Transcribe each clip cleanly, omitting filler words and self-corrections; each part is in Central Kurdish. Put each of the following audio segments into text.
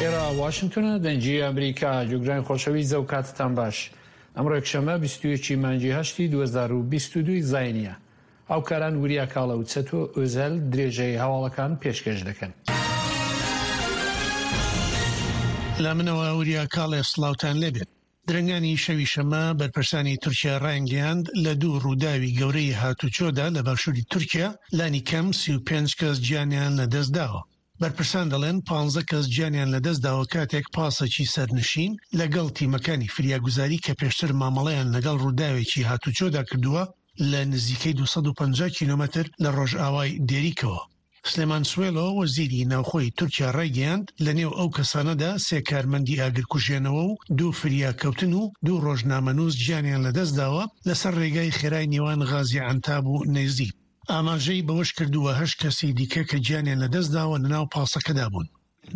ئێرە واشنتۆنە دەنگی ئەمریکا جوگرانی خۆشەویست زەو کاتتان باش ئەمڕۆ یەکشەممە 21 مانگی هەشتی 2022 زاینیە هاوکاران وریا کاڵە و چەتۆ ئۆزەل درێژەی هەواڵەکان پێشکەش دەکەن. لە منەوە وریا کاڵێ سڵاوتان لێبێت. درەنگانی شەوی شەممە بەرپرسانی تورکیا ڕایانگەیاند لە دوو ڕووداوی گەورەی هاتوچۆدا لە باشووری تورکیا لانی کەم 35 کەس گیانیان لەدەستداوە. بەرپرسان دەڵێن پانزە کەس گیانیان لەدەستداوە کاتێک پاسێکی سەرنشین لەگەڵ تیمەکانی فریاگوزاری کە پێشتر مامەڵەیان لەگەڵ ڕووداوێکی هاتوچۆدا کردووە لە نزیکەی 250 کیلۆمەتر لە ڕۆژئاوای دێریکەوە. سلێمان سوێلۆ، وەزیری ناوخۆی تورکیا ڕایگەیاند، لەنێو ئەو کەسانەدا سێ کارمەندی ئاگرکوژێنەوە و دوو فریاکەوتن و دوو ڕۆژنامەنووس گیانیان لەدەستداوە لەسەر ڕێگای خێرای نێوان غازی عەنتاب و نەیزیب. ئاماژەی بەوەشکردووە، هەشت کەسی دیکە کە گیانیان لەدەستداوە لەناو پاسەکەدا بوون.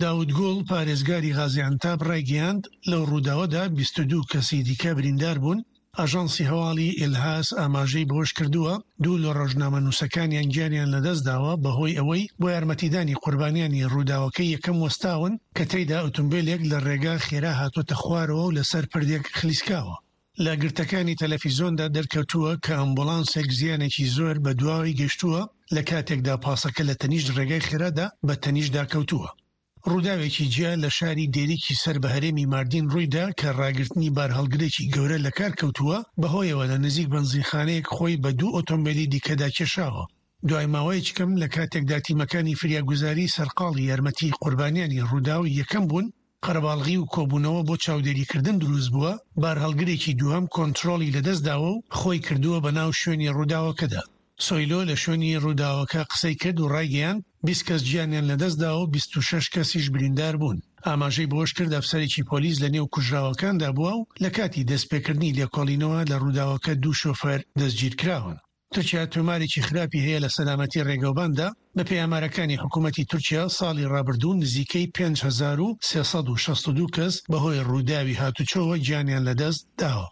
داود گوڵ، پارێزگاری غازی عەنتاب ڕایگەیاند، لەو ڕووداوەدا 22 کەسی دیکە بریندار بوون. ئاژانسی هەواڵی ئیلهاس ئاماژەی بەوەشکردووە، دوو لە ڕۆژنامەنووسەکانیان گیانیان لەدەستداوە بەهۆی ئەوەی بۆ یارمەتیدانی قوربانیانی ڕووداوەکەی یەکەم وەستاون کە تێیدا ئۆتۆمبێلێک لە ڕێگا خێرا هاتۆتە خوارەوە و لەسەر پردێک خلیسکاوە. لە گرتەکانی تەلەفیزۆندا دەرکەوتووە کە ئەمبوڵانسێک زیانێکی زۆر بە دواوەی گەشتووە لە کاتێکدا پاسەکە لە تەنیشت ڕێگای خێرادا بە تەنیشتدا کەوتووە. ڕووداوێکی جیا لە شاری دێریکی سەر بە هەرێمی ماردین ڕوویدا کە ڕاگرتنی بارهەڵگرێکی گەورە لەکار کەوتووە، بەهۆیەوە لە نزیک بەنزینخانەیەک خۆی بە دوو ئۆتۆمبێلی دیکەدا کێشاوە. دوای ماوەیەکی کەم لە کاتێکدا تیمەکانی فریاگوزاری سەرقاڵی یارمەتی قوربانیانی ڕووداوی یەکەم بوون، قەرەباڵغی و کۆبوونەوە بۆ چاودێریکردن دروستبووە، بارهەڵگرێکی دووهەم کۆنترۆڵی لەدەستداوە و خۆی کردووە بەناو شوێنی ڕووداوەکەدا. سۆیلۆ لە شوێنی ڕووداوەکە قسەی کرد و ڕایگەیاند، 20 کەس گیانیان لەدەستداوە و 26 کەسیش بریندار بوون. ئاماژەی بەوەشکرد، ئەفسەرێکی پۆلیس لەنێو کوژراوەکاندا بووە و لەکاتی دەستپێکردنی لێکۆڵینەوە لە ڕووداوەکە دوو شۆفێر دەستگیرکراون. تورکیا تۆمارێکی خراپی هەیە لە سەلامەتی ڕێگەوباندا، بەپێی ئامارەکانی حکوومەتی تورکیا ساڵی ڕابردوو نزیکەی 5362 کەس بەهۆی ڕووداوی هاتوچۆوە گیانیان لەدەست داوە.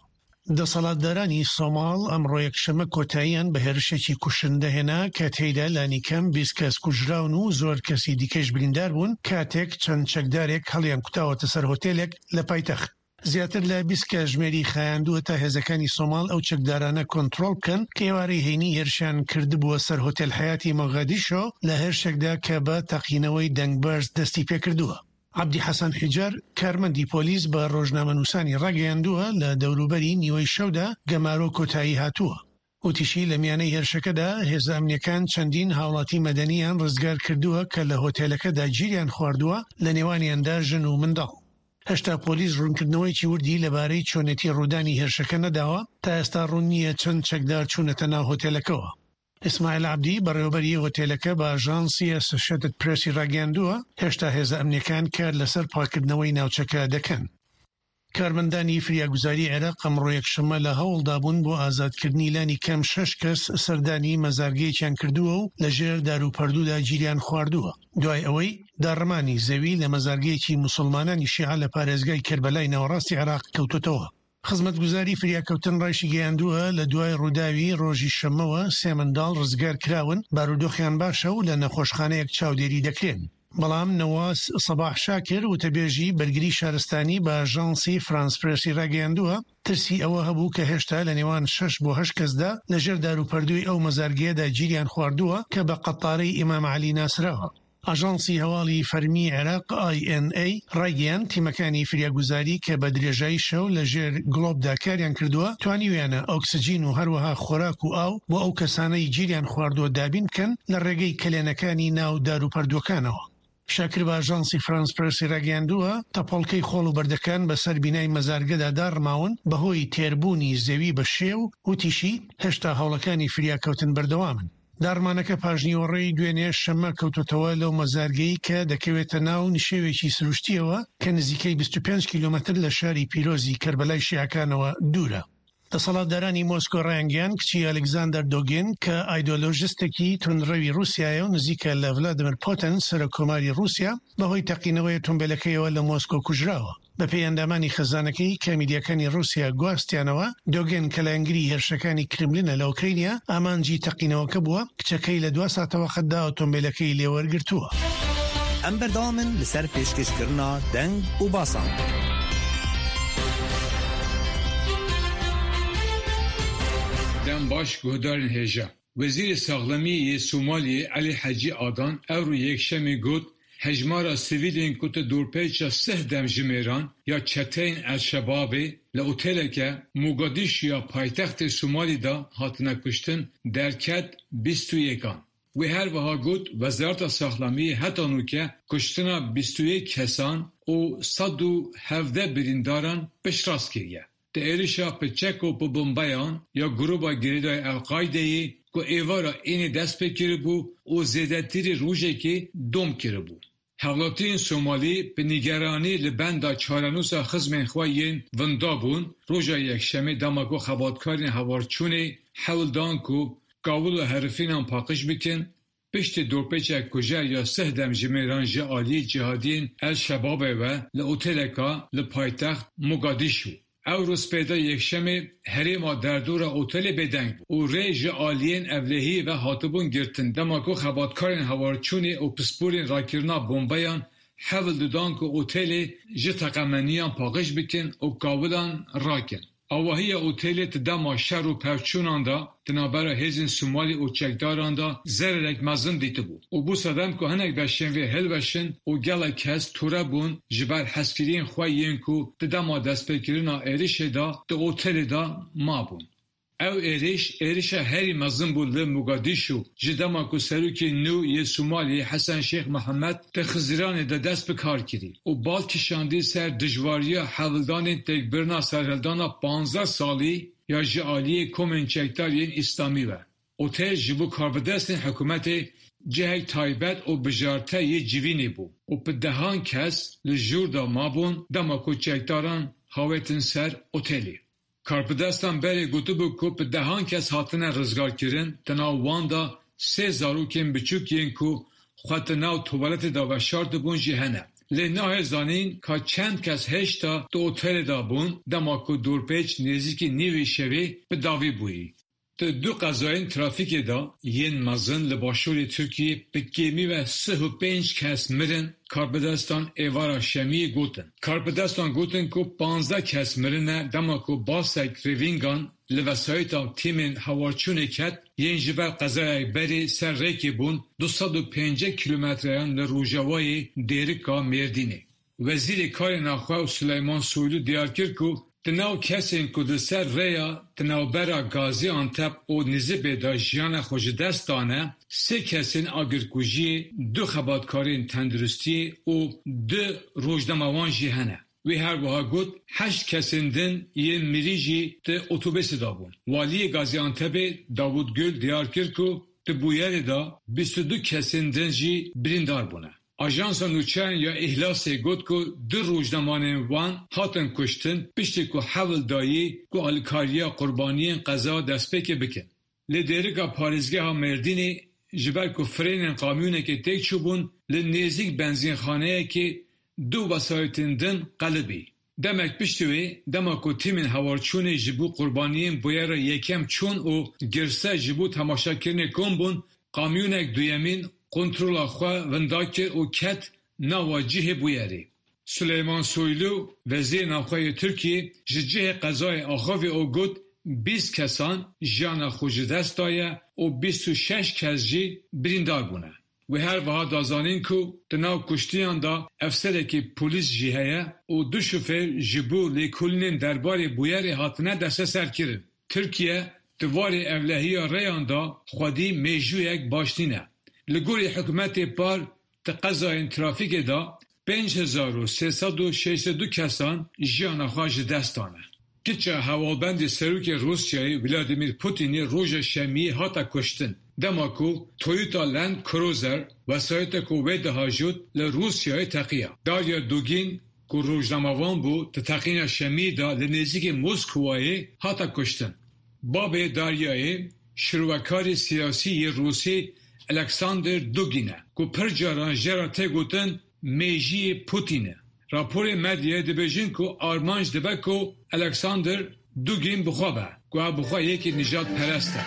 دەسەڵاتدارانی سۆماڵ ئەمڕۆ یەکشەممە کۆتاییان بە هێرشێکی کوشندە هێنا کە تێیدا لانیکەم 20 کەس کوژراون و زۆر کەسی دیکەش بریندار بوون کاتێک چەند چەکدارێک هەڵیانکوتاوەتە سەر هۆتێلێک لە پایتەخت. زیاتر لە 20 کاژمێری خایاندووە تا هێزەکانی سۆماڵ ئەو چەکدارانە کۆنترۆڵ بکەن کە ئێوارەی هەینی هێرشیان کردبووە سەر هۆتێل حەیاتی مۆغادیشۆ لە هێرشێکدا کە بە تەقینەوەی دەنگ بەرز دەستی پێکردووە. عەبدی حەسەن حیجار، کارمەندی پۆلیس بە ڕۆژنامەنووسانی ڕاگەیاندووە، لە دەوروبەری نیوەی شەودا گەمارۆ کۆتایی هاتووە. وتیشی، لە میانەی هێرشەکەدا هێزە ئەمنییەکان چەندین هاوڵاتی مەدەنییان ڕزگار کردووە کە لە هۆتێلەکەدا گیریان خواردووە، لە نێوانیاندا ژن و منداڵ. هێشتا پۆلیس ڕوونکردنەوەیەکی وردی لەبارەی چۆنێتی ڕوودانی هێرشەکە نەداوە، تا ئێستا ڕوون نییە چەند چەکدار چوونەتە ناو هۆتێلەکەوە. ئیسماعیل عەبدی، بەڕێوەبەری هۆتێلەکە بە ئاژانسی ئەسۆشێتد پرێسی ڕاگەیاندووە، هێشتا هێزە ئەمنییەکان کار لەسەر پاککردنەوەی ناوچەکە دەکەن. کارمەندانی فریاگوزاری عێراق ئەمڕۆ یەکشەممە لە هەوڵدابوون بۆ ئازادکردنی لانی کەم شەش کەس سەردانی مەزارگەیەکیان کردووە و لەژێر داروپەردوودا گیریان خواردووە دوای ئەوەی داڕمانی زەوی لە مەزارگەیەکی موسڵمانانی شیعە لە پارێزگای کەربەلای ناوەڕاستی عێراق کەوتۆتەوە. خزمەتگوزاری فریاکەوتن ڕایشیگەیاندووە، لە دوای ڕووداوی ڕۆژی شەممەوە سێ منداڵ ڕزگارکراون، بارودۆخیان باشە و لە نەخۆشخانەیەک چاودێری دەکرێن. بەڵام نەواس سەباح شاکر، وتەبێژی بەرگری شارستانی بە ئاژانسی فرانس پرێسی ڕاگەیاندووە، ترسی ئەوە هەبوو کە هێشتا لە نێوان شەش بۆ هەشت کەسدا لەژێر داروپەردووی ئەو مەزارگەیەدا گیریان خواردووە کە بە قەتارەی ئیمام عەلی ناسراوە. ئاژانسی هەواڵی فەرمی عێراق، INA، ڕایگەیاند، تیمەکانی فریاگوزاری کە بە درێژایی شەو لە ژێر گڵۆپدا کاریان کردووە، توانیویانە ئۆکسجین و هەروەها خۆراک و ئاو بۆ ئەو کەسانەی گیریان خواردووە دابین بکەن لە ڕێگەی کەلێنەکانی ناو داروپەردووەکانەوە. شاکر بە ئاژانسی فرانس پرێسی ڕاگەیاندووە، تەپۆڵکەی خۆڵ و بەردەکان بەسەر بینای مەزارگەدا داڕماون بەهۆی تێربوونی زەوی بە شێ و وتیشی، هێشتا هەوڵەکانی فریاکەوتن بەردەوامن. داڕمانەکە پاشنیوەڕۆی دوێنێ شەممە کەوتۆتەوە لەو مەزارگەی کە دەکەوێتە ناو نشێوێکی سروشتییەوە کە نزیکەی 25 کیلۆمەتر لە شاری پیرۆزی کەربەلای شیعەکانەوە دوورە. دەسەڵاتدارانی مۆسکۆ ڕایانگەیاند کچی ئەلێکزاندەر دۆگین کە ئایدۆلۆژستێکی توندڕەوی ڕووسیایە و نزیکە لە ڤلادیمیر پوتن سەرۆک کۆماری ڕووسیا بەهۆی تەقینەوەی ئۆتۆمبێلەکەیەوە لە مۆسکۆ کوژراوە. بەپێی ئەندامانی خێزانەکەی کە میدیاکانی ڕووسیا گواستیانەوە، دۆگین کە لایەنگری هێرشەکانی کرملینە لە ئۆکرەینیا، ئامانجی تەقینەوەکە بووە، کچەکەی لە دوا ساتەوەختدا ئۆتۆمبێلەکەی لێوەرگرتووە. Em berdewam in li ser pêşkêşkirina deng û basan. Dem baş guhdarên hêja. Wezîrê Saxlemiyê yê Somaliyê Elî Hecî Adan ewro Yekşemê got, Hejmara sivîlên ku di dorpêça sih demjimêran ya çeteyên El Şebabê li oteleke Mogadîşuya paytextê Somalî de hatine kuştin derket 21 an. Wê her wiha got, Wezareta Saxlemiyê heta nûke kuştina 21 kesan û 117 birîndaran piştrast kiriye. Di êrişa bi çek û bi bombeyan ya grûba girêdayî El Qaîdeyê ku êvara înê dest pê kiribû û zêdetirî rojekê dom kiribû. Hevlatiyên Somalî bi nîgeranî li benda çarenûsa xizmên xwe yên winda bûn, roja Yekşemê dema ku xebatkarên hewarçûnê hewl dan ku kawil û herifînan paqij bikin, piştî dorpêçek kujer ya sih demjimêran ji aliyê cîhadiyên El Şebabê ve li oteleka li paytext Mogadîşu. Ew rûspêda Yekşemê herêma derdora otelê bêdeng bû û rê ji aliyên ewlehiyê ve hatibûn girtin dema ku xebatkarên hewarçûnê û pisporên rakirina bombeyan hewl didan ku otelê ji teqemeniyan paqij bikin û kawilan rakin. Avahiya otelê di dema şer û pevçûnan de di navbera hêzên Somalî û çekdaran de zererek mezin dîtibû û bû sedem ku hinek beşên vê hilweşin û gelek kes tûre bûn ji ber hezkiriyên xwe yên ku di dema destpêkirina êrişê de di otelê de mabûn. Ew êriş, êrişa herî mezin bû li Mogadîşu ji dema ku serokê nû yê Somaliyê Hesen Şêx Mihemed di Xizîranê de dest bi kar kirî û bal kişandî ser dijwariya hewldanên têkbirina serhildana 15 salî ya ji aliyê komên çekdar yên Îslamî ve. Otel ji bo karbidestên hikûmetê cihek taybet û bijarte yê civînê bû û bi dehan kes li jûr de mabûn dema ku çekdaran hawêtin ser otelê. Karbidestan berê gotibû ku bi dehan kes hatine rizgarkirin di nav wan de sê zarokên biçûk yên ku xwe di nav tuwaletê de veşartibûn jî hene. Lê nahê zanîn ka çend kes hêşta di otelê de bûn dema ku dorpêç nêzîkî nîvê şevê bi dawî bûyî. Di du qezayên trafîkê de yên mezin li başûrê Tirkiyê bi kêmî ve 35 kes mirin, karbidestan êvara şemiyê gotin. Karbidestan gotin ku 15 kes mirine dema ku basek rêvîngan li wesayîta tîmên hewarçûnê ket yên ji ber qezayek berê ser rêkê bûn 250 kîlometreyan li rojavayê Dêrika Mêrdînê. Wezîrê Karên Navxwe Suleyman Soylu diyar kir ku di nav kesên ku li ser rêya di navbera Gaziantep û Nizipê de jiyana xwe ji dest dane, sê kesên agirkujiyê, du xebatkarên tenduristiyê û du rojnamevan jî hene. Wî her wiha got, heşt kesên din yên mirî jî di otobêsê de bûn. Waliyê Gaziantepê Davut Gül diyar kir ku di bûyerê de 22 kesên din jî birîndar bûne. Ajansa Nûçeyan ya Îhlasê got ku du rojnamevanên wan hatin kuştin piştî ku hewl dayî ku alîkariya qurbaniyên qeza destpêkê bikin. Li Dêrika parêzgeha Mêrdînê ji ber ku frênên kamyonekê têk çûbûn li nêzîk benzînxaneyekê du wesayîtên din qelibî. Demek piştî wê dema ku tîmên hewarçûnê ji bo qurbaniyên bûyera yekem çûn û girse ji bo temaşekirinê kom bûn, kamyonek duyemîn kontrola xwe winda kir û ket nava cihê bûyerê. Süleyman Soylu, Wezîrê Navxwe yê Tirkiyê ji cihê qezayê axivî û got 20 kesan jiyana xwe ji dest daye û 26 kes jî birîndar bûne. Wê her wiha da zanîn ku di nav kuştiyan de efserekî polîs jî heye û du şofêr ji bo lêkolînên derbarê bûyerê hatine desteserkirin. Tirkiye di warê ewlehiya rêyan de xwedî mêjûyek baş nîne. Li gorî hikûmetê par di qezayên trafîkê de 5362 kesan jiyana xwe ji dest dane. Kiça hevalbendê Serokê Rûsyayê Vladimir Putinê roja şemiyê hate kuştin. Dema ku Toyota Land Cruiser wesayîta ku wê dihajot li Rûsyayê teqiya. Darya Dugin ku rojnamevan bû di teqîna şemiyê de li nêzîkê Moskowayê hate kuştin. Babê Daryayê şirvekarê siyasî yê Rûsî Alexander Dugin e ku pir caran jê re tê gotin mêjiyê Putin e. Raporê medyayê dibêjin ku armanc dibe ku Alexander Dugin bi xwe be, ku ew bi xwe yekî nijadperest e.